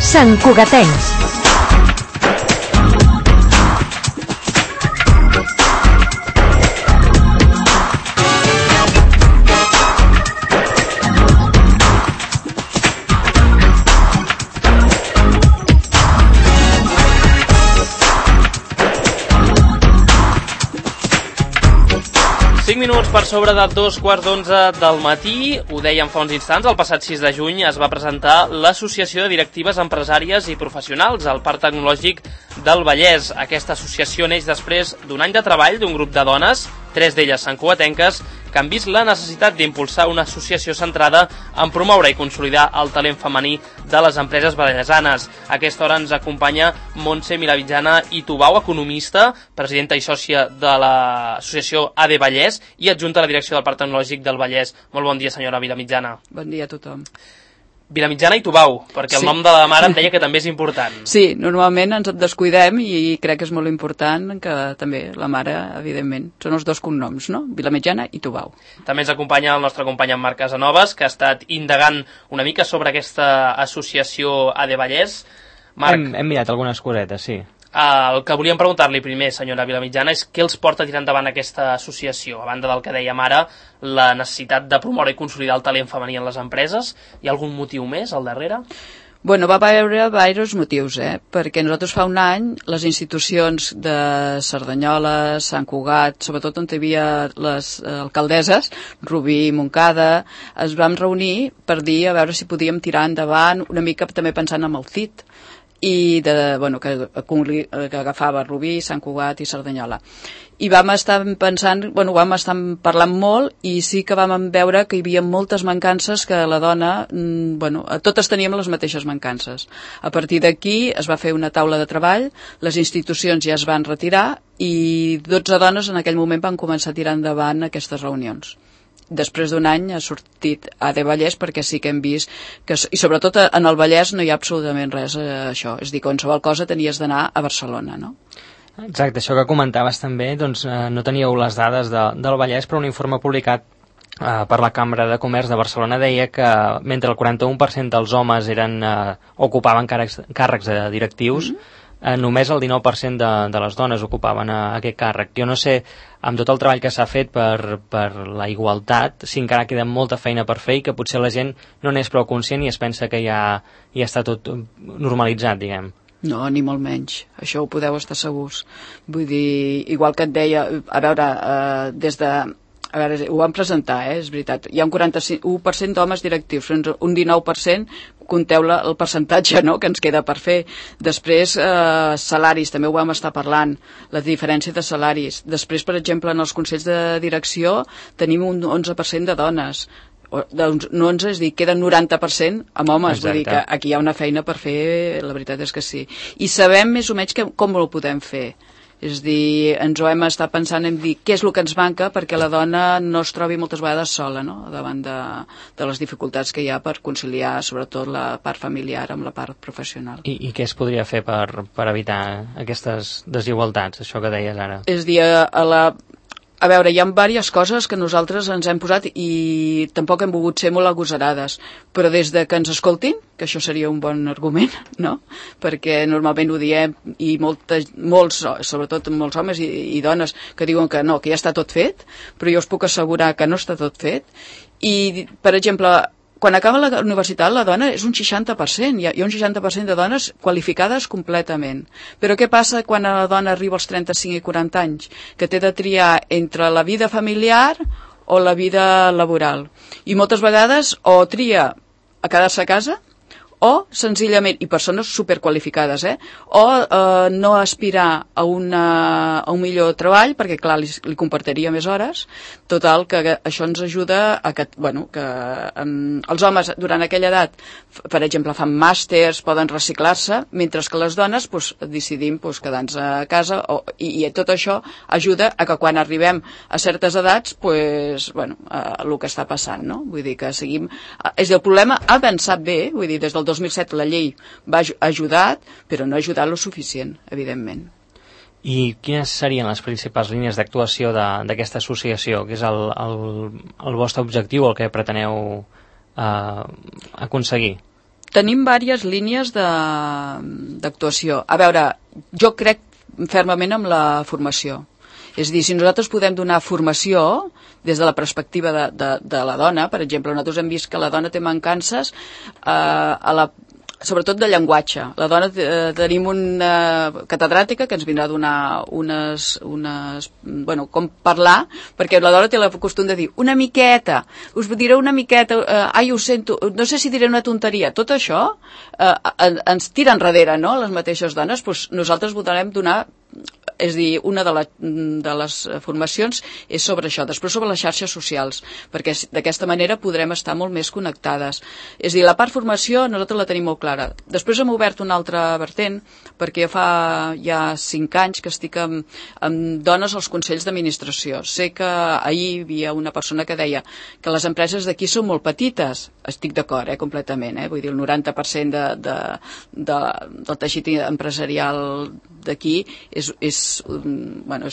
Santcugatencs. Minuts per sobre de 2:15 del matí, ho dèiem fa uns instants, el passat 6 de juny es va presentar l'Associació de Directives Empresàries i Professionals al Parc Tecnològic del Vallès. Aquesta associació neix després d'un any de treball d'un grup de dones, 3 d'elles santcugatenques, que han vist la necessitat d'impulsar una associació centrada en promoure i consolidar el talent femení de les empreses vallesanes. A aquesta hora ens acompanya Montse Milamitjana i Tubau, economista, presidenta i sòcia de l'associació AD Vallès i adjunta a la direcció del Parc Tecnològic del Vallès. Molt bon dia, senyora Milamitjana. Bon dia a tothom. Milamitjana i Tubau, perquè el nom de la mare em deia que també és important. Sí, normalment ens descuidem i crec que és molt important que també la mare, evidentment, són els dos cognoms, no? Milamitjana i Tubau. També ens acompanya el nostre company en Marc Casanovas, que ha estat indagant una mica sobre aquesta associació AD Vallès. Marc, hem mirat algunes cosetes, sí. El que volíem preguntar-li primer, senyora Milamitjana, és què els porta a tirar endavant aquesta associació? A banda del que dèiem ara, la necessitat de promoure i consolidar el talent femení en les empreses, hi ha algun motiu més al darrere? Bueno, va haver diversos motius, perquè nosaltres fa un any les institucions de Cerdanyola, Sant Cugat, sobretot on hi havia les alcaldesses, Rubí i Montcada, es vam reunir per dir a veure si podíem tirar endavant una mica també pensant en el CIT, i que agafava Rubí, Sant Cugat i Cerdanyola. I vam estar pensant, vam estar parlant molt i sí que vam veure que hi havia moltes mancances que la dona, totes teníem les mateixes mancances. A partir d'aquí es va fer una taula de treball, les institucions ja es van retirar i 12 dones en aquell moment van començar a tirar endavant aquestes reunions. Després d'un any ha sortit AD Vallès perquè sí que hem vist que, i sobretot en el Vallès no hi ha absolutament res això, és a dir, qualsevol cosa tenies d'anar a Barcelona, no? Exacte, això que comentaves també, doncs no teníeu les dades del Vallès, però un informe publicat per la Cambra de Comerç de Barcelona deia que mentre el 41% dels homes ocupaven càrrecs directius, només el 19% de les dones ocupaven aquest càrrec. Jo no sé, amb tot el treball que s'ha fet per la igualtat, si encara queda molta feina per fer i que potser la gent no n'és prou conscient i es pensa que ja està tot normalitzat, diguem. No, ni molt menys. Això ho podeu estar segurs. Vull dir, igual que et deia, a veure, ho vam presentar, és veritat. Hi ha un 41% d'homes directius, un 19%, compteu el percentatge, no?, que ens queda per fer. Després, salaris, també ho vam estar parlant, la diferència de salaris. Després, per exemple, en els consells de direcció tenim un 11% de dones. No 11, és a dir, queden 90% amb homes. Exacte. Vull dir que aquí hi ha una feina per fer, la veritat és que sí. I sabem més o menys com ho podem fer. És a dir, ens ho hem estat pensant en dir què és el que ens manca perquè la dona no es trobi moltes vegades sola, no?, davant de les dificultats que hi ha per conciliar sobretot la part familiar amb la part professional. I què es podria fer per evitar aquestes desigualtats, això que deies ara? És a dir, a veure, hi ha diverses coses que nosaltres ens hem posat i tampoc hem volgut ser molt agosarades, però des de que ens escoltin, que això seria un bon argument, no? Perquè normalment ho diem i molts, sobretot molts homes i dones que diuen que no, que ja està tot fet, però jo us puc assegurar que no està tot fet. I, per exemple, quan acaba la universitat la dona és un 60%, hi ha un 60% de dones qualificades completament. Però què passa quan la dona arriba als 35 i 40 anys? Que té de triar entre la vida familiar o la vida laboral. I moltes vegades o tria a quedar-se a casa o senzillament, i persones superqualificades, o no aspirar a un millor treball, perquè clar, li compartiria més hores. Total, que això ens ajuda a que els homes durant aquella edat, per exemple, fan màsters, poden reciclar-se, mentre que les dones decidim quedar-nos a casa, i tot això ajuda a que quan arribem a certes edats, el que està passant, no? Vull dir que seguim... El problema ha avançat bé, vull dir, des del 2007 la llei ha ajudat, però no ha ajudat lo suficient, evidentment. I quines serien les principals línies d'actuació d'aquesta associació? Què és el vostre objectiu, el que preteneu aconseguir? tenim diverses línies d'actuació. A veure, jo crec fermament en la formació. És a dir, si nosaltres podem donar formació des de la perspectiva de la dona, per exemple, nosaltres hem vist que la dona té mancances sobretot de llenguatge. La dona tenim una catedràtica que ens vindrà a donar com parlar, perquè la dona té el costum de dir una miqueta, us diré una miqueta, ai, ho sento, no sé si diré una tonteria. Tot això ens tira enrere, no?, les mateixes dones. Doncs nosaltres votarem donar, és a dir, una de les formacions és sobre això, després sobre les xarxes socials, perquè d'aquesta manera podrem estar molt més connectades. És a dir, la part formació nosaltres la tenim molt clara. Després hem obert una altra vertent, perquè fa ja 5 anys que estic amb dones als consells d'administració. Sé que ahir hi havia una persona que deia que les empreses d'aquí són molt petites. Estic d'acord, completament. Vull dir, el 90% del teixit empresarial d'aquí és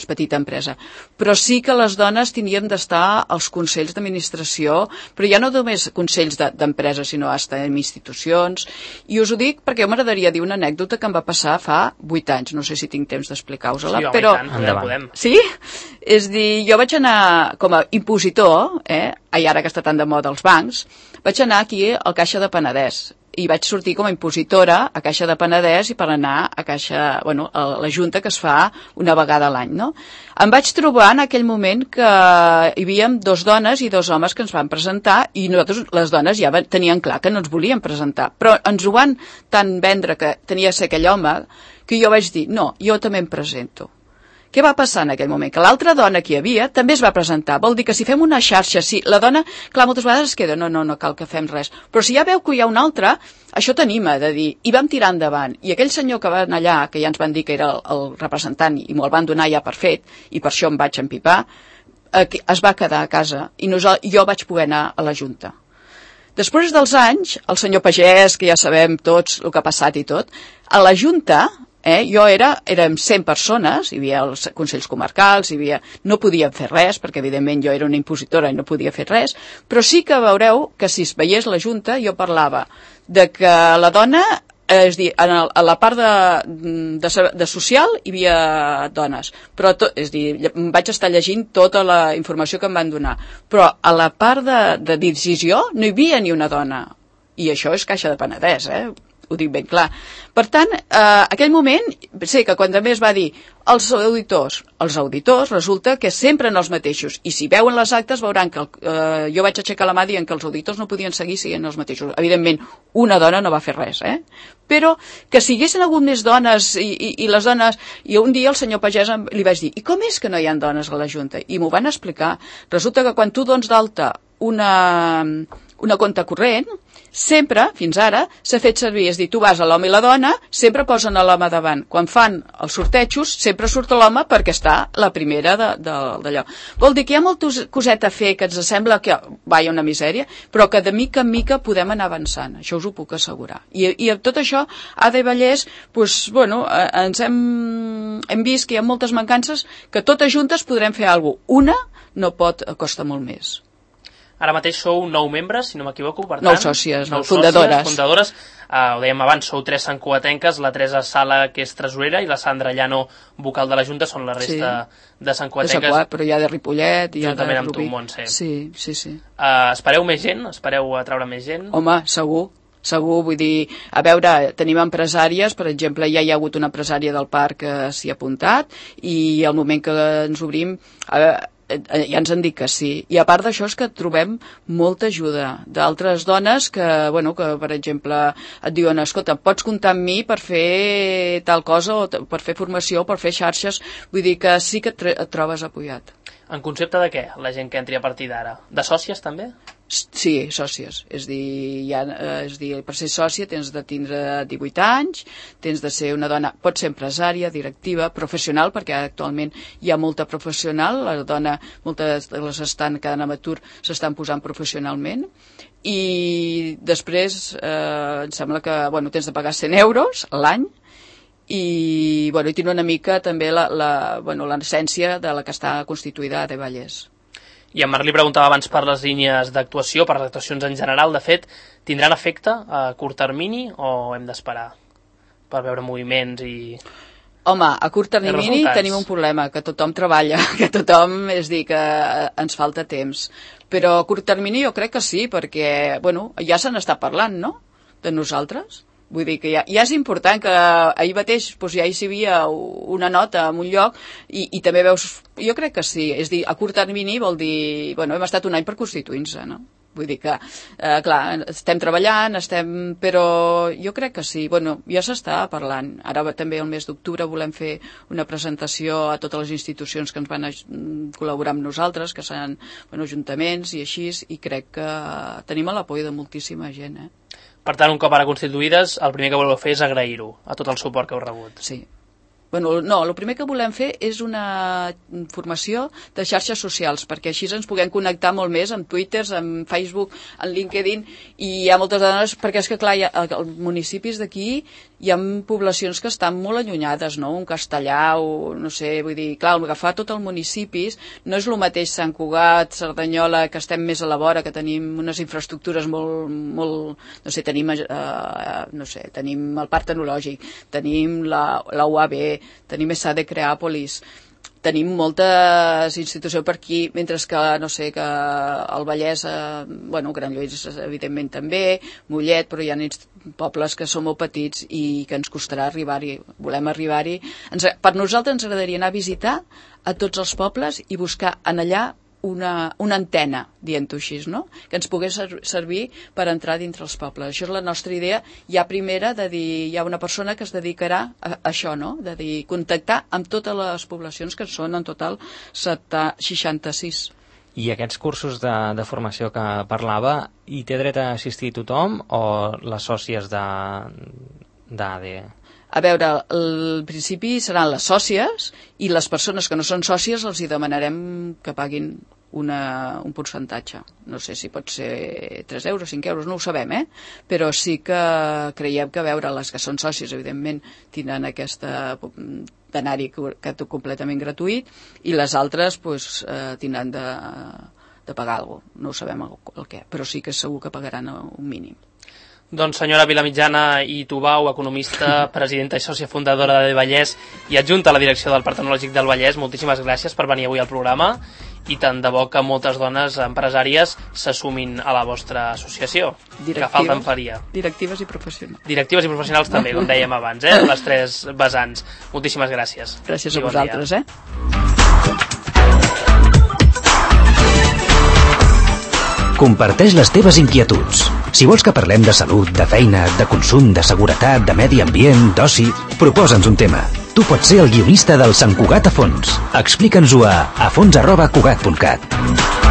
petita empresa. Però sí que les dones tindríem d'estar als consells d'administració, però ja no només consells d'empreses, sinó fins en institucions. I us ho dic perquè jo m'agradaria dir una anècdota que em va passar fa 8 anys. No sé si tinc temps d'explicar-vos-la. Sí, home, però... i tant, podem. Sí? És dir, jo vaig anar com a impositor, ara que està tan de moda els bancs, vaig anar aquí al Caixa de Penedès i vaig sortir com a impositora a Caixa de Penedès i per anar a a la junta que es fa una vegada a l'any, no? Em vaig trobar en aquell moment que hi havia 2 dones i 2 homes que ens van presentar i nosaltres, les dones, ja tenien clar que no ens volien presentar, però ens ho van tant vendre que tenia de ser aquell home que jo vaig dir, no, jo també em presento. Què va passar en aquell moment? Que l'altra dona que hi havia també es va presentar. Vol dir que si fem una xarxa, sí, la dona, clar, moltes vegades es queda, no cal que fem res. Però si ja veu que hi ha una altra, això t'anima de dir, i vam tirar endavant. I aquell senyor que va anar allà, que ja ens van dir que era el representant i me'l van donar ja per fet, i per això em vaig empipar, es va quedar a casa i jo vaig poder anar a la Junta. Després dels anys, el senyor Pagès, que ja sabem tots el que ha passat i tot, a la Junta... érem 100 persones, hi havia els consells comarcals, no podíem fer res, perquè evidentment jo era una impositora i no podia fer res, però sí que veureu que si es veiés la Junta jo parlava de que la dona, és dir, a la part de social hi havia dones, però és dir, vaig estar llegint tota la informació que em van donar, però a la part de decisió no hi havia ni una dona, i això és Caixa de Penedès, ho dic ben clar. Per tant, aquell moment, sé que quan també es va dir els auditors resulta que sempre en els mateixos, i si veuen les actes veuran que jo vaig aixecar la mà dient que els auditors no podien seguir sent els mateixos. Evidentment, una dona no va fer res, però que si hi haguessin hagut més dones i les dones, i un dia el senyor Pagès li vaig dir, i com és que no hi ha dones a la Junta? I m'ho van explicar. Resulta que quan tu dones d'alta una compte corrent, sempre, fins ara, s'ha fet servir, és a dir, tu vas a l'home i la dona, sempre posen l'home davant. Quan fan els sortejos, sempre surt l'home perquè està la primera d'allò. Vol dir que hi ha molta coseta a fer que ens sembla que va, hi ha una misèria, però que de mica en mica podem anar avançant, això us ho puc assegurar. I amb tot això, Ada i Vallès, ens hem vist que hi ha moltes mancances que totes juntes podrem fer alguna cosa. Una no pot, costa molt més. Ara mateix sou 9 membres, si no m'equivoco, per tant... 9 sòcies, fundadores. Ho dèiem abans, sou 3 santcugatenques, la Teresa Sala, que és tresorera, i la Sandra Llano, vocal de la Junta, són la resta de santcugatenques. Però hi ha de Ripollet, hi ha de Rubí. Juntament amb tu, Montse. Sí. Espereu més gent? Espereu a treure més gent? Home, segur, vull dir, a veure, tenim empresàries, per exemple, ja hi ha hagut una empresària del parc que s'hi ha apuntat, i al moment que ens obrim... ja ens han dit que sí. I a part d'això és que trobem molta ajuda d'altres dones que, per exemple, et diuen, escolta, pots comptar amb mi per fer tal cosa, o per fer formació, o per fer xarxes. Vull dir que sí que et trobes apoyat. En concepte de què, la gent que entri a partir d'ara? De sòcies, també? Sí, sòcies. És dir, per ser sòcia tens de tindre 18 anys, tens de ser una dona, pot ser empresària, directiva, professional, perquè actualment hi ha molta professional, la dona, moltes de les estan quedant amb atur, s'estan posant professionalment, i després em sembla que tens de pagar 100 euros a l'any, i tiene una mica també l'essència de la que està constituïda a Vallès. I en Marc li preguntava abans per les línies d'actuació, per les actuacions en general. De fet, tindran efecte a curt termini o hem d'esperar per veure moviments i... Home, a curt termini tenim un problema, que tothom treballa, que tothom, és dir, que ens falta temps. Però a curt termini jo crec que sí, perquè, bueno, ja se n'està parlant, no?, de nosaltres. Vull dir que ja és important que ahir mateix doncs, ja hi havia una nota en un lloc i també veus... Jo crec que sí, és dir, a curt termini vol dir... Bueno, hem estat un any per constituir-se, no? Vull dir que, clar, estem treballant, però jo crec que sí. Bueno, ja s'està parlant. Ara també el mes d'octubre volem fer una presentació a totes les institucions que ens van col·laborar amb nosaltres, que seran ajuntaments i així, i crec que tenim l'apoio de moltíssima gent, Per tant, un cop ara constituïdes, el primer que voleu fer és agrair-ho a tot el suport que heu rebut. Sí. Bueno, no, el primer que volem fer és una formació de xarxes socials, perquè així ens puguem connectar molt més amb Twitter, amb Facebook, amb LinkedIn, i hi ha moltes dones, perquè és que, clar, als municipis d'aquí hi ha poblacions que estan molt allunyades, no? Un Castellà, o no sé, vull dir, clar, agafar tot el municipis no és el mateix Sant Cugat, Cerdanyola, que estem més a la vora, que tenim unes infraestructures molt no sé, tenim el Parc Tecnològic, tenim la UAB, tenim ESADE Creàpolis, tenim moltes institucions per aquí, mentre que, no sé, que el Vallès, Granollers, evidentment també, Mollet, però hi ha pobles que són molt petits i que ens costarà arribar-hi, volem arribar-hi. Per nosaltres ens agradaria anar a visitar a tots els pobles i buscar en allà una antena, dient-ho així, no? Que ens pogués servir per entrar dintre els pobles. Això és la nostra idea. Hi ha una persona que es dedicarà a això, no? De dir, contactar amb totes les poblacions, que són en total 66. I aquests cursos de formació que parlava, hi té dret a assistir tothom o les sòcies d'ADE? A veure, al principi seran les sòcies i les persones que no són sòcies els hi demanarem que paguin un percentatge. No sé si pot ser 3 euros, 5 euros, no ho sabem, però sí que creiem que, a veure, les que són sòcies, evidentment, tindran aquesta d'anar-hi completament gratuït i les altres tindran de pagar alguna cosa. No ho sabem el què, però sí que segur que pagaran un mínim. Doncs senyora Vilamitjana i Tubau, economista, presidenta i sòcia fundadora de Vallès i adjunta a la direcció del Parc Tecnològic del Vallès, moltíssimes gràcies per venir avui al programa i tant de bo que moltes dones empresàries s'assumin a la vostra associació, que falta en faria. Directives i professionals. Directives i professionals també, com dèiem abans, les 3 vessants. Moltíssimes gràcies. Gràcies a vosaltres, Comparteix les teves inquietuds. Si vols que parlem de salut, de feina, de consum, de seguretat, de medi ambient, d'oci, proposa'ns un tema. Tu pots ser el guionista del Sant Cugat a fons. Explica'ns-ho a fons@cugat.cat.